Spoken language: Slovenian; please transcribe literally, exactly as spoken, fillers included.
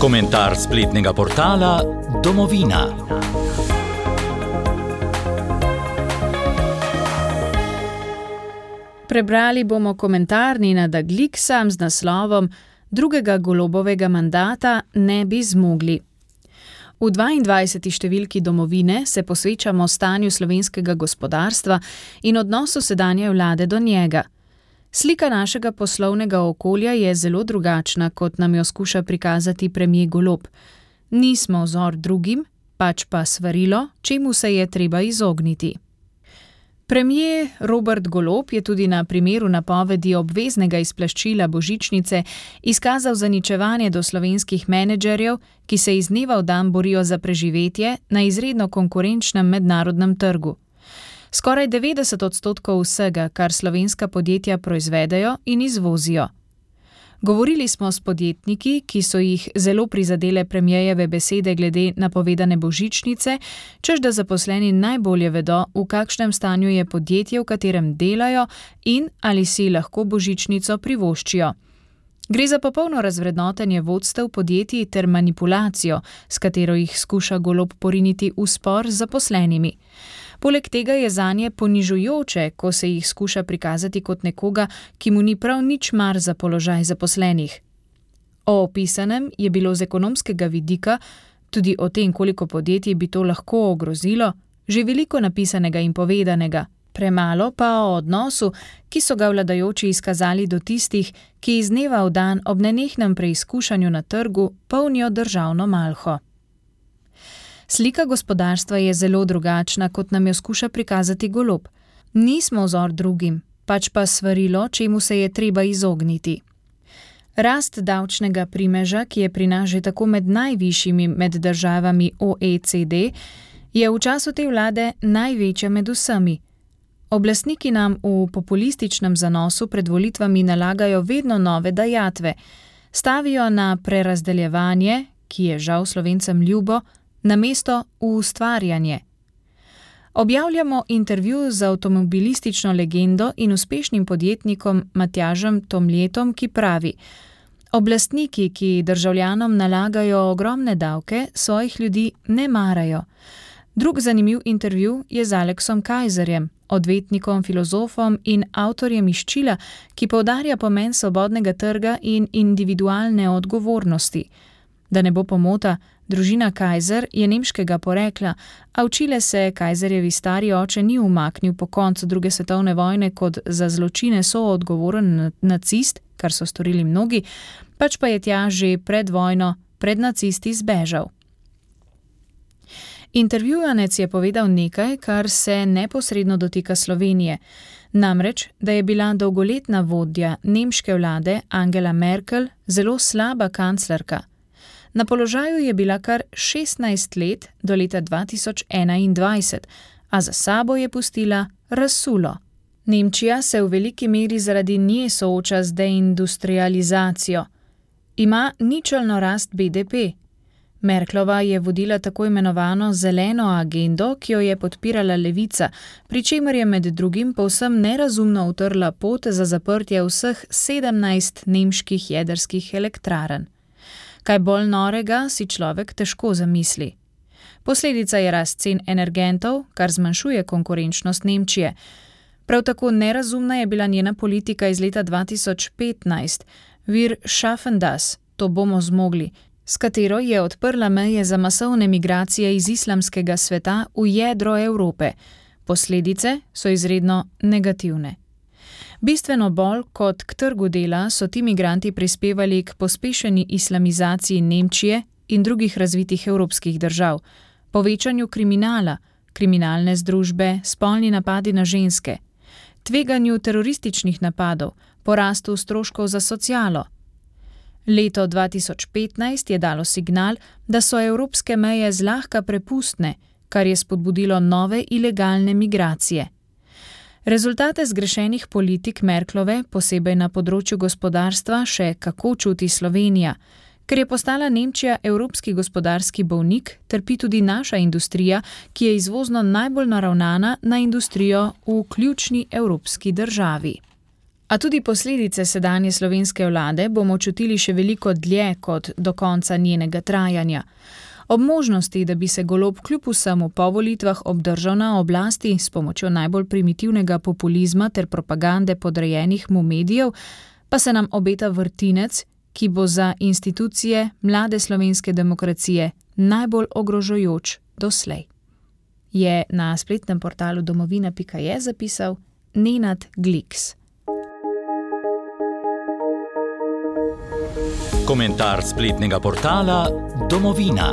Komentar spletnega portala Domovina. Prebrali bomo komentar Nenada Gliksa z naslovom Drugega Golobovega mandata ne bi zmogli. V dvaindvajseti številki Domovine se posvečamo stanju slovenskega gospodarstva in odnosu sedanje vlade do njega. Slika našega poslovnega okolja je zelo drugačna, kot nam jo skuša prikazati premier Golob. Nismo vzor drugim, pač pa svarilo, čemu se je treba izogniti. Premier Robert Golob je tudi na primeru napovedi obveznega izplačila božičnice izkazal zaničevanje do slovenskih menedžerjev, ki se iz dneva v dan borijo za preživetje na izredno konkurenčnem mednarodnem trgu. Skoraj devetdeset odstotkov vsega, kar slovenska podjetja proizvedejo in izvozijo. Govorili smo s podjetniki, ki so jih zelo prizadele premierjeve besede glede napovedane božičnice, češ da zaposleni najbolje vedo, v kakšnem stanju je podjetje, v katerem delajo in ali si lahko božičnico privoščijo. Gre za popolno razvrednotenje vodstev podjetij ter manipulacijo, s katero jih skuša Golob poriniti v spor z zaposlenimi. Poleg tega je zanje ponižujoče, ko se jih skuša prikazati kot nekoga, ki mu ni prav nič mar za položaj zaposlenih. O opisanem je bilo z ekonomskega vidika, tudi o tem, koliko podjetij bi to lahko ogrozilo, že veliko napisanega in povedanega, premalo pa o odnosu, ki so ga vladajoči izkazali do tistih, ki iz dneva v dan ob nenehnem preizkušanju na trgu polnijo državno malho. Slika gospodarstva je zelo drugačna, kot nam jo skuša prikazati Golob. Nismo vzor drugim, pač pa svarilo, čemu se je treba izogniti. Rast davčnega primeža, ki je pri nas že tako med najvišjimi med državami O E C D, je v času te vlade največja med vsemi. Oblastniki nam v populističnem zanosu pred volitvami nalagajo vedno nove dajatve, stavijo na prerazdeljevanje, ki je žal Slovencem ljubo, namesto v ustvarjanje. Objavljamo intervju z avtomobilistično legendo in uspešnim podjetnikom Matjažem Tomljetom, ki pravi: oblastniki, ki državljanom nalagajo ogromne davke, svojih ljudi ne marajo. Drug zanimiv intervju je z Aleksom Kajzerjem, odvetnikom, filozofom in avtorjem Izčila, ki poudarja pomen svobodnega trga in individualne odgovornosti. Da ne bo pomota, družina Kajzer je nemškega porekla, a v Čile se Kajzerjevi stari oče ni umaknil po koncu druge svetovne vojne kot za zločine soodgovoren nacist, kar so storili mnogi, pač pa je tja že pred vojno, pred nacisti zbežal. Intervjuvanec je povedal nekaj, kar se neposredno dotika Slovenije, namreč, da je bila dolgoletna vodja nemške vlade Angela Merkel zelo slaba kanclerka. Na položaju je bila kar šestnajst let do leta dva tisoč enaindvajset, a za sabo je pustila razsulo. Nemčija se v veliki meri zaradi nje sooča z deindustrializacijo. Ima ničelno rast B D P. Merklova je vodila tako imenovano zeleno agendo, ki jo je podpirala levica, pri čemer je med drugim povsem nerazumno utrla pot za zaprtje vseh sedemnajst nemških jedrskih elektrarn. Kaj bolj norega si človek težko zamisli. Posledica je rast cen energentov, kar zmanjšuje konkurenčnost Nemčije. Prav tako nerazumna je bila njena politika iz leta dva tisoč petnajst, Wir schaffen das, to bomo zmogli, s katero je odprla meje za masovne migracije iz islamskega sveta v jedro Evrope. Posledice so izredno negativne. Bistveno bolj kot k trgu dela so ti migranti prispevali k pospešeni islamizaciji Nemčije in drugih razvitih evropskih držav, povečanju kriminala, kriminalne združbe, spolni napadi na ženske, tveganju terorističnih napadov, porastu stroškov za socialo. Leto dva tisoč petnajst je dalo signal, da so evropske meje zlahka prepustne, kar je spodbudilo nove ilegalne migracije. Rezultate zgrešenih politik Merklove, posebej na področju gospodarstva, še kako čuti Slovenija. Ker je postala Nemčija evropski gospodarski bolnik, trpi tudi naša industrija, ki je izvozno najbolj naravnana na industrijo v ključni evropski državi. A tudi posledice sedanje slovenske vlade bomo čutili še veliko dlje kot do konca njenega trajanja. Ob možnosti, da bi se Golob kljub vsemu po volitvah obdržal na oblasti s pomočjo najbolj primitivnega populizma ter propagande podrejenih mu medijev, pa se nam obeta vrtinec, ki bo za institucije mlade slovenske demokracije najbolj ogrožajoč doslej. Je na spletnem portalu domovina pika je zapisal Nenad Gliks. Komentar spletnega portala Domovina.